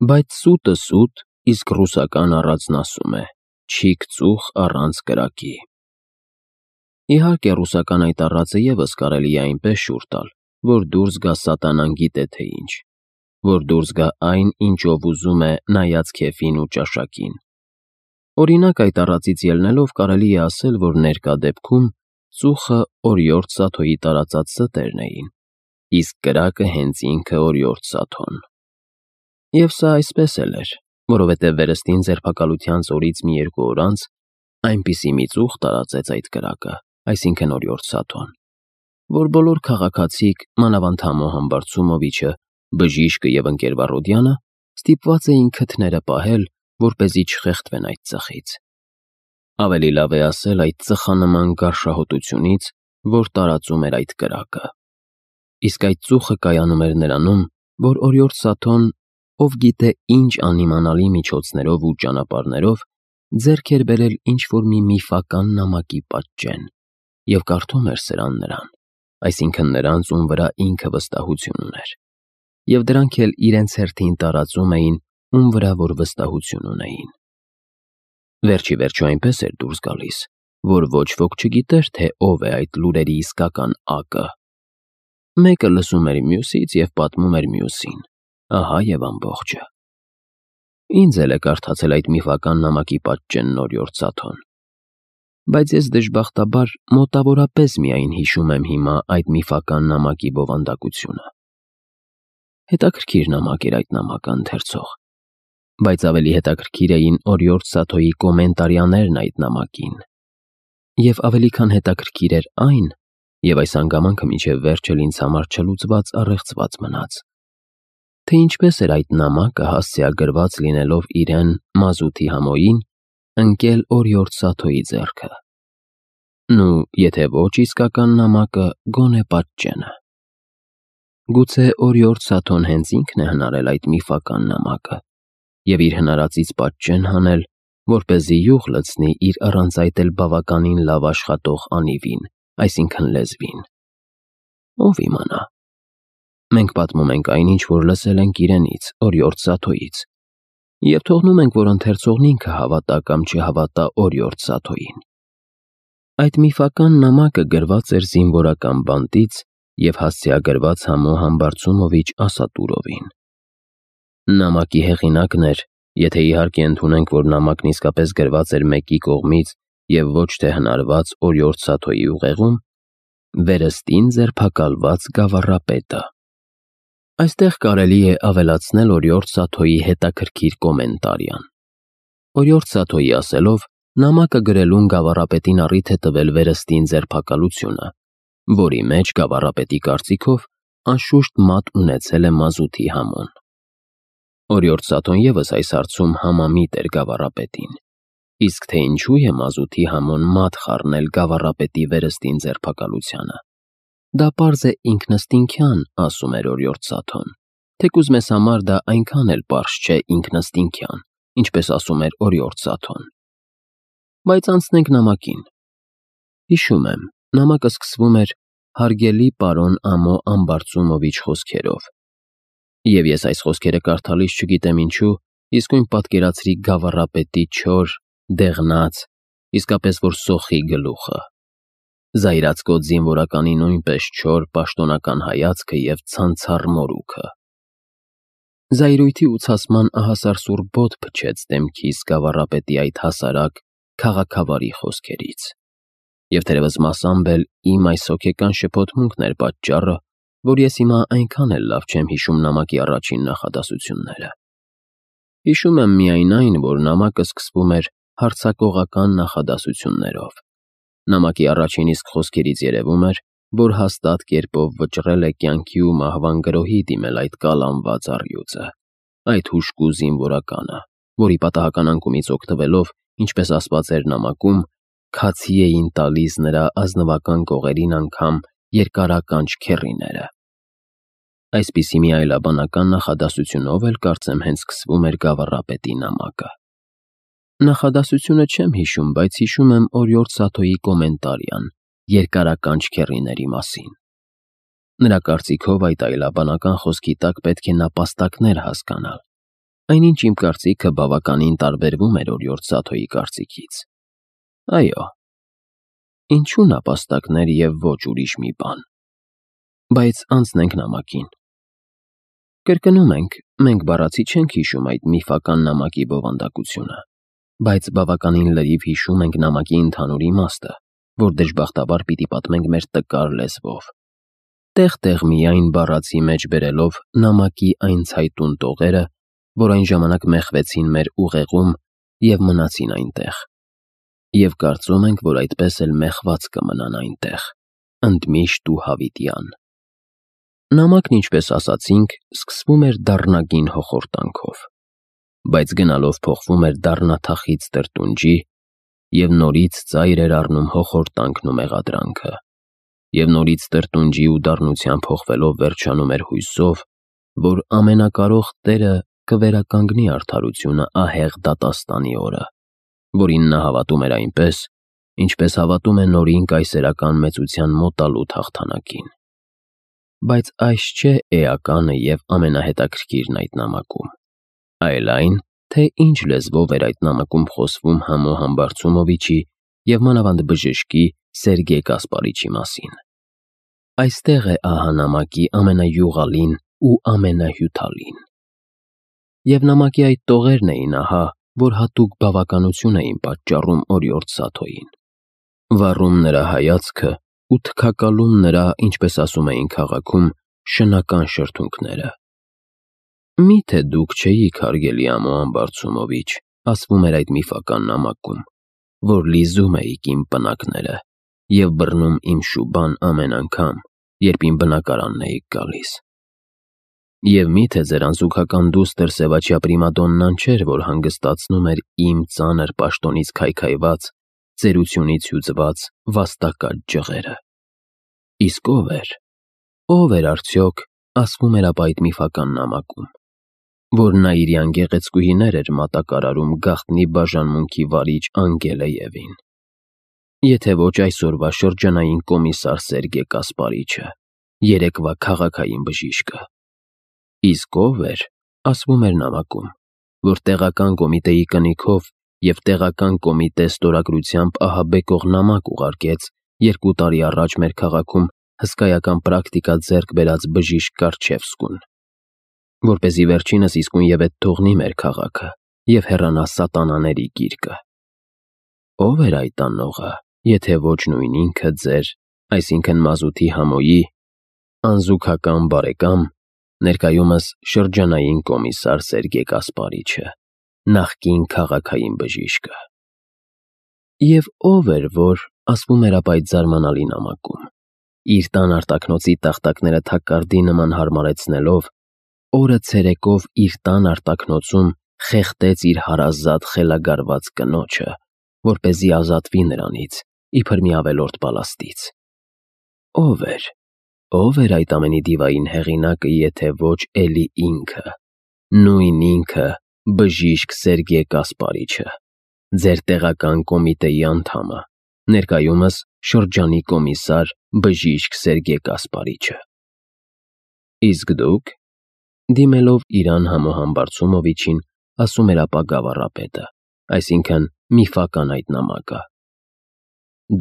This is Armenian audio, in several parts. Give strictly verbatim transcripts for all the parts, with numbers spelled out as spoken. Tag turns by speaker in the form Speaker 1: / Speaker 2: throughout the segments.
Speaker 1: Բայց սուտը սուտ, իսկ ռուսական առածն ասում է. «Չիք ծուխ առանց կրակի»։ Իհարկե, ռուսական այդ առածը ևս կարելի է այնպես շուռ տալ, որ դուրս գա սատանան գիտե թե ինչ, որ դուրս գա այն, ինչով ուզում է, նայած քեֆին ու ճաշակին։ Օրինակ, այդ առածից ելնելով կարելի է ասել, որ ներկա դեպքում ծուխը օրիորդ Սաթոյի տարածած ստերն էին, իսկ կրակը հենց ինքը օրիորդ Սաթոն։ Եվ սա այսպես էլ էր, որովհետև վերստին ձերբակալության օրից մի երկու օր անց այնպիսի մի ծուխ տարածեց այդ կրակը, այսինքն օրիորդ Սաթոն, որ բոլոր քաղաքացիք, մանավանդ Համո Համբարձումովիչը, Բժիշկը և ընկեր Վառոդյանը ստիպված էին քթները պահել, որպեսզի չխեղդվեն այդ ծխից։ Ավելի լավ է ասել այդ ծխանման գարշահոտությունից, որ տարածում էր այդ կրակը։ Իսկ այդ ծուխը կայանում էր նրանում, որ օրիորդ Սաթոն, ով գիտե ինչ անիմանալի միջոցներով ու ճանապարհներով, ձեռք էր բերել ինչ-որ մի միֆական նամակի պատճեն և կարդում էր սրան նրան, այսինքն նրանց, ում վրա ինքը վստահություն ուներ, և դրանք էլ իրենց հերթին տարածում էին, ում վրա որ վստահություն ունեին։ Վերջ ի վերջո այնպես էր դուրս գալիս, որ ոչ ոք չգիտեր, թե ով է այդ լուրերի իսկական ակը։ Մեկը լսում էր մյուսից և պատմում էր մյուսին, ահա և ամբողջը։ Ինձ էլ է կարդացել այդ միֆական նամակի պատճենն օրիորդ Սաթոն, բայց ես դժբախտաբար մոտավորապես միայն հիշում եմ հիմա այդ միֆական նամակի բովանդակությունը։ Հետաքրքիր նամակ էր այդ նամակը, ընթերցող, բայց ավելի հետաքրքիր էին օրիորդ Սաթոյի կոմենտարիաներն այդ նամակին, և ավելի քան հետաքրքիր էր այն, և այս հանգամանքը մինչև վերջ էլ ինձ համար չլուծված առեղծված մնաց, թե ինչպես էր այդ նամակը հասցեագրված լինելով իրեն՝ մազութի Համոյին, ընկել օրիորդ Սաթոյի ձեռքը։ Նու, եթե ոչ իսկական նամակը, գոնե պատճենը։ Գուցե օրիորդ Սաթոն հենց ինքն է հնարել այդ միֆական նամակը և իր հնարածից պատճեն հանել, որպեսզի յուղ լցնի իր առանց այդ էլ բավականին լավ աշխատող անիվին, այսինքն լեզվին։ Ով իմանա։ Մենք պատմում ենք այնինչ, որ լսել ենք իրենից, օրիորդ Սաթոյից, և թողնում ենք, որ ընթերցողն ինքը հավատա կամ չհավատա օրիորդ Սաթոյին։ Այդ միֆական նամակը գրված էր զինվորական բանտից և հասցեագրված Համո Համբարձումովիչ Ասատուրովին։ Նամակի հեղինակն էր, եթե իհարկե ընդունենք, որ նամակն իսկապես գրված էր մեկի կողմից և ոչ թե հնարված օրիորդ Սաթոյի ուղեղում, վերստին ձերբակալված գավառապետը։ Այստեղ կարելի է ավելացնել օրիորդ Սաթոյի հետաքրքիր կոմենտարիան։ Օրիորդ Սաթոյի ասելով, նամակը գրելուն գավառապետին առիթ է տվել վերստին ձերբակալությունը, որի մեջ գավառապետի կարծիքով անշուշտ մատ ունեցել է մազութի Համոն։ Օրիորդ Սաթոն ևս այս հարցում համամիտ էր գավառապետին, իսկ թե ինչու է մազութի Համոն մատ խառնել գավառապետի վերստին ձերբակալությանը, դա պարզ է ինքնըստինքյան, ասում էր օրիորդ Սաթոն, թեկուզ մեզ համար դա այնքան էլ պարզ չէ ինքնըստինքյան, ինչպես ասում էր օրիորդ Սաթոն։ Բայց անցնենք նամակին։ Հիշում եմ, նամակը սկսվում էր «Հարգելի պարոն Ամո Ամբարձումովիչ» խոսքերով, և ես այս խոսքերը կարդալիս չգիտեմ ինչու, իսկույն պատկերացրի գավառապետի չոր, դեղնած, իսկապես որ սոխի գլուխը, զայրացկոտ զինվորականի նույնպես չոր, պաշտոնական հայացքը և ցանցառ մորուքը։ Զայրույթի ու ցասման ահասարսուռ բոտ փչեց դեմքիս գավառապետի այդ հասարակ, քաղաքավարի խոսքերից, և թերևս մասամբ էլ իմ այս հոգեկան շփոթմունքն էր պատճառը, որ ես հիմա այնքան էլ լավ չեմ հիշում նամակի առաջին նախադասությունները։ Հիշում եմ միայն այն, որ նամակը սկսվում էր հարձակողական նախադասություններով։ Նամակի առաջին իսկ խոսքերից երևում էր, որ հաստատ կերպով վճռել է կյանքի ու մահվան գրոհի դիմել այդ կալանված առյուծը, այդ հուժկու զինվորականը, որի պատահական անկումից օգտվելով, ինչպես ասված էր նամակում, քացի էին տալիս նրա ազնվական կողերին անգամ երկարականչ քեռիները։ Այսպիսի մի այլաբանական նախադասությունով էլ կարծեմ հենց սկսվում էր գավառապետի նամակը։ Նախադասությունը չեմ հիշում, բայց հիշում եմ օրիորդ Սաթոյի կոմենտարիան երկարականչ քեռիների մասին։ Նրա կարծիքով այդ այլաբանական խոսքի տակ պետք է նապաստակներ հասկանալ, այնինչ իմ կարծիքը բավականին տարբերվում էր օրիորդ Սաթոյի կարծիքից։ Այո, ինչու նապաստակներ և ոչ ուրիշ մի բան։ Բայց անցնենք նամակին։ Կրկնում ենք, մենք բառացի չենք հիշում այդ միֆական նամակի բովանդակությունը, բայց բավականին լրիվ հիշում ենք նամակի ընդհանուր իմաստը, որ դժբախտաբար պիտի պատմենք մեր տկար լեզվով, տեղ-տեղ միայն բառացի մեջ բերելով նամակի այն ցայտուն տողերը, որ այն ժամանակ մեխվեցին մեր ուղեղում և մնացին այնտեղ, և կարծում ենք, որ այդպես էլ մեխված կմնան այնտեղ, ընդմիշտ ու հավիտյան։ Նամակն, ինչպես ասացինք, սկսվում էր դառնագին հոխորտանքով, բայց գնալով փոխվում էր դառնաթախիծ տրտունջի և նորից ծայր էր առնում հոխորտանքն ու մեղադրանքը, և նորից տրտունջի ու դառնության փոխվելով վերջանում էր հույսով, որ ամենակարող Տերը կվերականգնի արդարությունը ահեղ դատաստանի օրը, որին նա հավատում էր այնպես, ինչպես հավատում է նորին կայսերական մեծության մոտալուտ հաղթանակին։ Բայց այս չէ էականը և ամենահետաքրքիրն այդ նամակում, այլ այն, թե ինչ լեզվով էր այդ նամակում խոսվում Համո Համբարձումովիչի և մանավանդ բժշկի Սերգեյ Կասպարիչի մասին։ Այստեղ է ահա նամակի ամենայուղալին ու ամենահյութալին։ Եվ նամակի այդ տողերն էին ահա, որ հատուկ բավականություն էին պատճառում օրիորդ Սաթոյին, վառում նրա հայացքը ու թքակալում նրա, ինչպես ասում էին քաղաքում, շնական շրթունքները։ Մի՞թե դուք չէիք, հարգելի Ամո Համբարձումովիչ, ասվում էր այդ միֆական նամակում, որ լիզում էիք իմ պնակները և բռնում իմ շուբան ամեն անգամ, երբ իմ բնակարանն էիք գալիս։ Եվ մի՞թե ձեր անզուգական դուստր Սևաչյա պրիմադոննան չէր, որ հանգստացնում էր իմ ծանր պաշտոնից քայքայված, ծերությունից հյուծված վաստակած ջղերը։ Իսկ ո՞վ էր, ո՞վ էր արդյոք, ասվում էր ապա այդ միֆական նամակում, որ նա իր յանգեղեցկուհիներ էր մատակարարում գաղտնի բաժանմունքի վարիչ Անգելեևին, եթե ոչ այսօրվա շրջանային կոմիսար Սերգեյ Կասպարիչը, երեկվա քաղաքային բժիշկը։ Իսկ ո՞վ էր, ասվում էր նամակում, որ տեղական կոմիտեի կնիքով և տեղական կոմիտե ստորագրությամբ ահաբեկող նամակ ուղարկեց երկու տարի առաջ մեր քաղաքում հսկայական պրակտիկա ձեռք բերած բժիշկ Կարչևսկուն, որպեսզի վերջինս իսկույնևեթ թողնի մեր քաղաքը և հեռանա սատանաների գիրկը։ Ո՞վ էր այդ անողը, եթե ոչ նույն ինքը ձեր, այսինքն մազութի Համոյի, անզուգական բարեկամ, ներկայումս շրջանային կոմիսար Սերգեյ Կասպարիչը, նախկին քաղաքային բժիշկը։ Եվ ո՞վ էր, որ, ասվում էր ապա այդ զարմանալի նամակում, իր տան արտաքնոցի տախտակները թակարդի նման հարմարեցնելով, օրը ցերեկով իր տան արտաքնոցում խեղդեց իր հարազատ խելագարված կնոջը, որպեսզի ազատվի նրանից, իբր մի ավելորդ պալաստից։ Ո՞վ էր, ո՞վ էր այդ ամենի դիվային հեղինակը, եթե ոչ էլի ինքը, նույն ինքը, բժիշկ Սերգեյ Կասպարիչը, ձեր տեղական կոմիտեի անդամը, ներկայումս շրջանի կոմիսար բժիշկ Սերգեյ Կասպարիչը։ Իսկ դուք, դիմելով իրան Համո Համբարձումովիչին, ասում էր ապա գավառապետը, այսինքն միֆական այդ նամակը։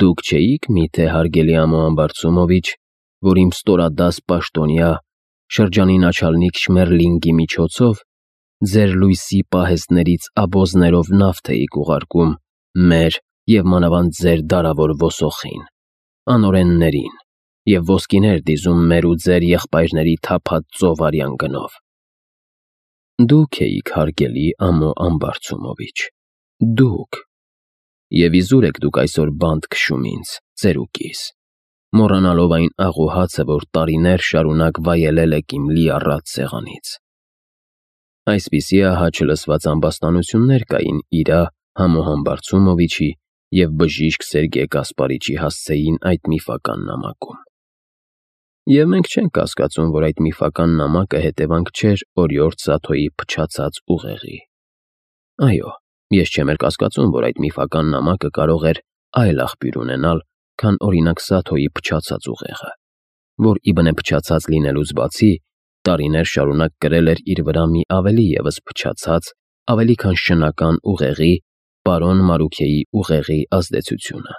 Speaker 1: Դուք չէիք միթե, հարգելի Ամո Համբարձումովիչ, որ իմ ստորադաս պաշտոնյա, շրջանի նաչալնիկ Շմերլինգի միջոցով ձեր լույսի պահեստներից աբոզներով նավթ էիք ուղարկում մեր և մանավանդ ձեր դարավոր ոսոխին, անօրեններին, և ոսկիներ դիզում մեր ու ձեր եղբայրների թափած ծովարյան գնով։ Դուք էիք, հարգելի Ամո Ամբարձումովիչ, դուք, և իզուր եք դուք այսօր բանտ քշում ինձ, ծերուկիս, մոռանալով այն աղոհացը, որ տարիներ շարունակ վայելել եք իմ լիառատ սեղանից։ Այսպիսի ահա չլսված ամբաստանություններ կային իրա Համո Համբարձումովիչի և բժիշկ Սերգեյ Կասպարիչի հասցեին այդ միֆական նամակում։ Եվ մենք չենք կասկածում, որ այդ միֆական նամակը հետևանք չէր օրիորդ Սաթոյի փչացած ուղեղի։ Այո, ես չեմ էլ կասկածում, որ այդ միֆական նամակը կարող էր այլ աղբյուր ունենալ, քան օրինակ Սաթոյի փչացած ուղեղը, որ իբնե փչացած լինելուց բացի, տարիներ շարունակ կրել էր իր վրա մի ավելի ևս փչացած, ավելի քան շնական ուղեղի՝ պարոն Մարությեի ուղեղի ազդեցությունը։